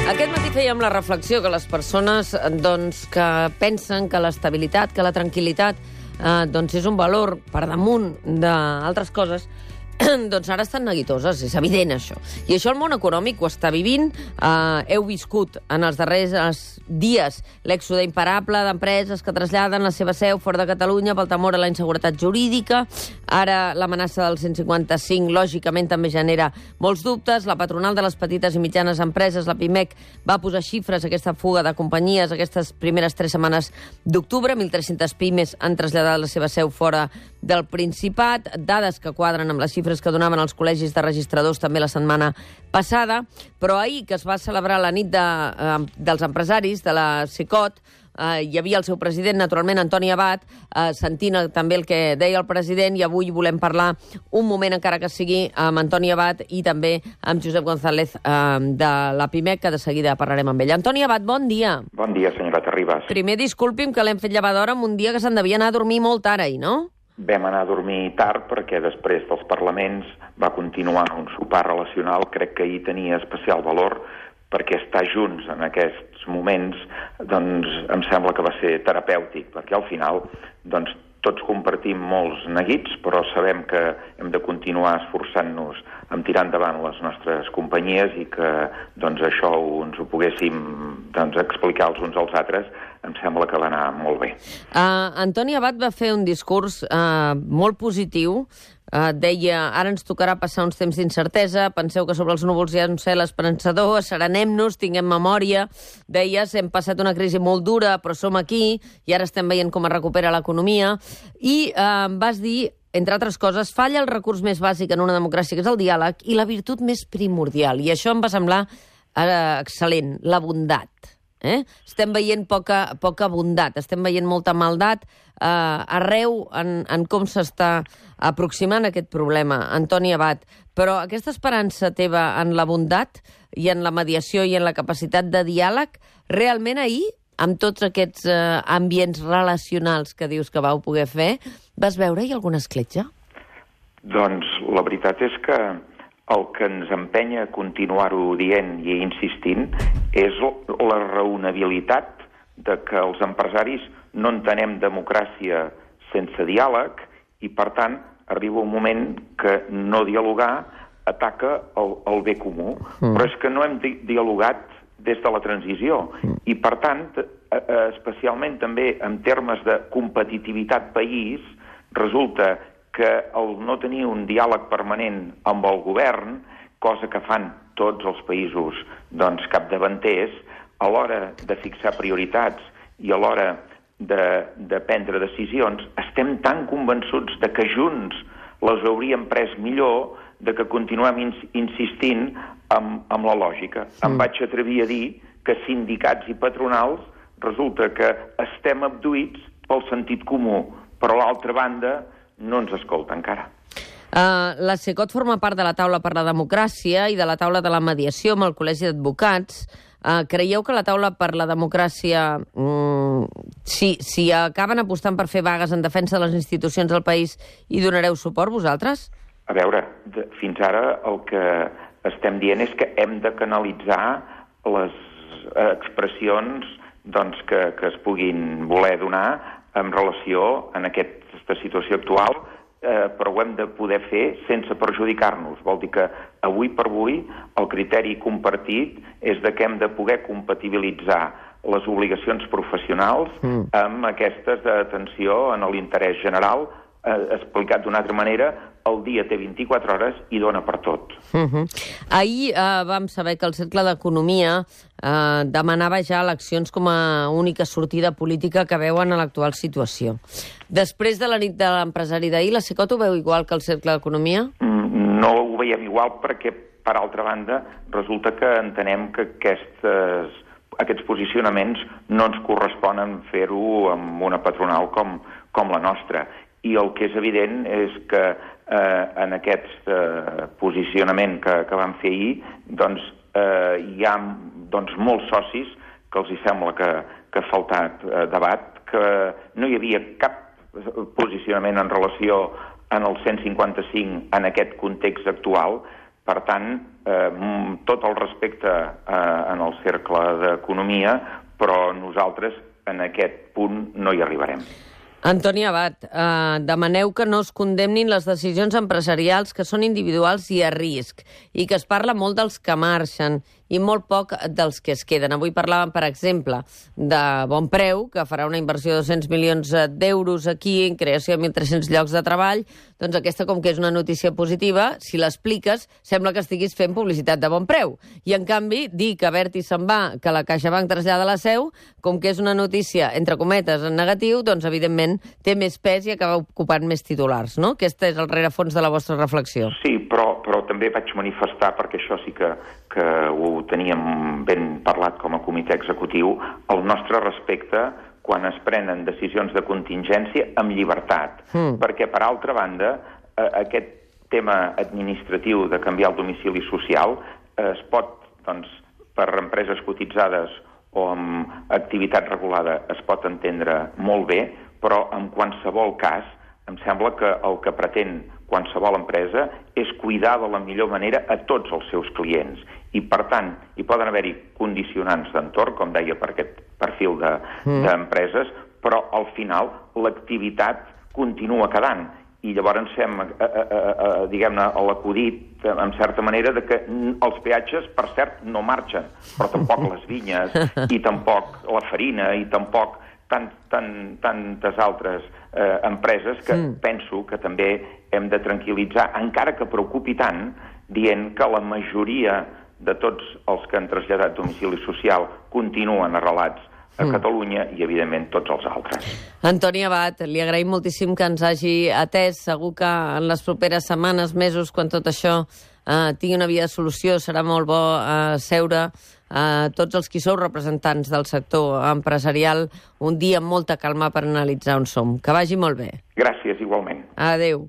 Aquest matí fèiem la reflexió que les persones que pensen que l'estabilitat, que la tranquil·litat és un valor per damunt d'altres coses, doncs ara estan neguitoses, és evident això. I això el món econòmic ho està vivint. Heu viscut en els darrers dies l'èxode imparable d'empreses que traslladen la seva seu fora de Catalunya pel temor a la inseguretat jurídica. Ara l'amenaça del 155, lògicament, també genera molts dubtes. La patronal de les petites i mitjanes empreses, la PIMEC, va posar xifres a aquesta fuga de companyies aquestes primeres 3 setmanes d'octubre. 1.300 pimes han traslladat la seva seu fora del Principat, dades que quadren amb les xifres que donaven els col·legis de registradors també la setmana passada, però ahir, que es va celebrar la nit dels empresaris de la CECOT, hi havia el seu president, naturalment, Antoni Abat, sentint també el que deia el president, i avui volem parlar un moment, encara que sigui, amb Antoni Abat i també amb Josep González de la PIMEC, que de seguida parlarem amb ell. Antoni Abat, bon dia. Bon dia, senyora Terribas. Primer, disculpi'm que l'hem fet llevar d'hora en un dia que se'n devia anar a dormir molt tard ahir, no? Vam anar a dormir tard perquè després dels parlaments va continuar un sopar relacional. Crec que ahir tenia especial valor perquè estar junts en aquests moments doncs em sembla que va ser terapèutic, perquè al final doncs tots compartim molts neguits, però sabem que hem de continuar esforçant-nos en tirar endavant les nostres companyies i que doncs això ens ho poguéssim explicar els uns als altres. Em sembla que va anar molt bé. Antoni Abat va fer un discurs molt positiu. Deia, ara ens tocarà passar uns temps d'incertesa, penseu que sobre els núvols hi ha un cel esperançador, asserenem-nos, tinguem memòria. Deies, hem passat una crisi molt dura, però som aquí, i ara estem veient com es recupera l'economia. I vas dir, entre altres coses, falla el recurs més bàsic en una democràcia, que és el diàleg, i la virtut més primordial. I això em va semblar excel·lent, la bondat. Estem veient poca bondat, estem veient molta maldat arreu en com s'està aproximant aquest problema, Antoni Abat. Però aquesta esperança teva en la bondat i en la mediació i en la capacitat de diàleg, realment ahir, amb tots aquests ambients relacionals que dius que vau poder fer, vas veure-hi alguna escletxa? Doncs la veritat és que el que ens empenya a continuar-ho dient i insistint és la raonabilitat de que els empresaris no entenem democràcia sense diàleg i, per tant, arriba un moment que no dialogar ataca el bé comú. Però és que no hem dialogat des de la transició i, per tant, especialment també en termes de competitivitat país, resulta que el no tenir un diàleg permanent amb el govern, cosa que fan tots els països capdavanters, a l'hora de fixar prioritats i a l'hora de prendre decisions, estem tan convençuts de que junts les hauríem pres millor, de que continuem insistint amb la lògica. Em vaig atrevir a dir que sindicats i patronals resulta que estem abduïts pel sentit comú, però a l'altra banda no ens escolta encara. La CECOT forma part de la taula per la democràcia i de la taula de la mediació amb el Col·legi d'Advocats. Creieu que la taula per la democràcia, si acaben apostant per fer vagues en defensa de les institucions del país, hi donareu suport vosaltres? A veure, fins ara el que estem dient és que hem de canalitzar les expressions que es puguin voler donar en relació a aquesta situació actual, però ho hem de poder fer sense perjudicar-nos. Vol dir que avui per avui el criteri compartit és de que hem de poder compatibilitzar les obligacions professionals amb aquestes d'atenció en l'interès general. Explicat d'una altra manera, el dia té 24 hores i dona per tot. Ahir vam saber que el Cercle d'Economia demanava ja eleccions com a única sortida política que veuen a l'actual situació. Després de la nit de l'empresari d'ahir, la CECOT ho veu igual que el Cercle d'Economia? No ho veiem igual perquè, per altra banda, resulta que entenem que aquests posicionaments no ens corresponen fer-ho amb una patronal com la nostra. I el que és evident és que en aquest posicionament que vam fer ahir hi ha molts socis que els sembla que ha faltat debat, que no hi havia cap posicionament en relació en el 155 en aquest context actual, Per tant, tot el respecte en el cercle d'economia, però nosaltres en aquest punt no hi arribarem. Antoni Abat, demaneu que no es condemnin les decisions empresarials que són individuals i a risc, i que es parla molt dels que marxen i molt poc dels que es queden. Avui parlàvem, per exemple, de Bonpreu, que farà una inversió de 200 milions d'euros aquí en creació de 1.300 llocs de treball. Doncs aquesta, com que és una notícia positiva, si l'expliques, sembla que estiguis fent publicitat de Bonpreu. I, en canvi, dir que Abertis se'n va, que la CaixaBank trasllada la seu, com que és una notícia, entre cometes, en negatiu, doncs, evidentment, té més pes i acaba ocupant més titulars, no? Aquest és el rerefons de la vostra reflexió. Sí, però també vaig manifestar, perquè això sí que ho teníem ben parlat com a comitè executiu, el nostre respecte quan es prenen decisions de contingència amb llibertat. Perquè, per altra banda, aquest tema administratiu de canviar el domicili social es pot, doncs, per empreses cotitzades o amb activitat regulada es pot entendre molt bé, però en qualsevol cas em sembla que el que pretén qualsevol empresa és cuidar de la millor manera a tots els seus clients. I, per tant, hi poden haver-hi condicionants d'entorn, com deia, per aquest perfil d'empreses, però al final l'activitat continua quedant. I llavors fem, diguem-ne, l'acudit, en certa manera, de que els peatges, per cert, no marxen, però tampoc les vinyes, i tampoc la farina, i tampoc tantes altres empreses que penso que també hem de tranquil·litzar, encara que preocupi tant, dient que la majoria de tots els que han traslladat domicili social continuen arrelats a Catalunya i, evidentment, tots els altres. Antoni Abat, li agraïm moltíssim que ens hagi atès. Segur que en les properes setmanes, mesos, quan tot això tingui una via de solució, serà molt bo seure tots els qui sou representants del sector empresarial un dia amb molta calma per analitzar on som. Que vagi molt bé. Gràcies, igualment. Adéu.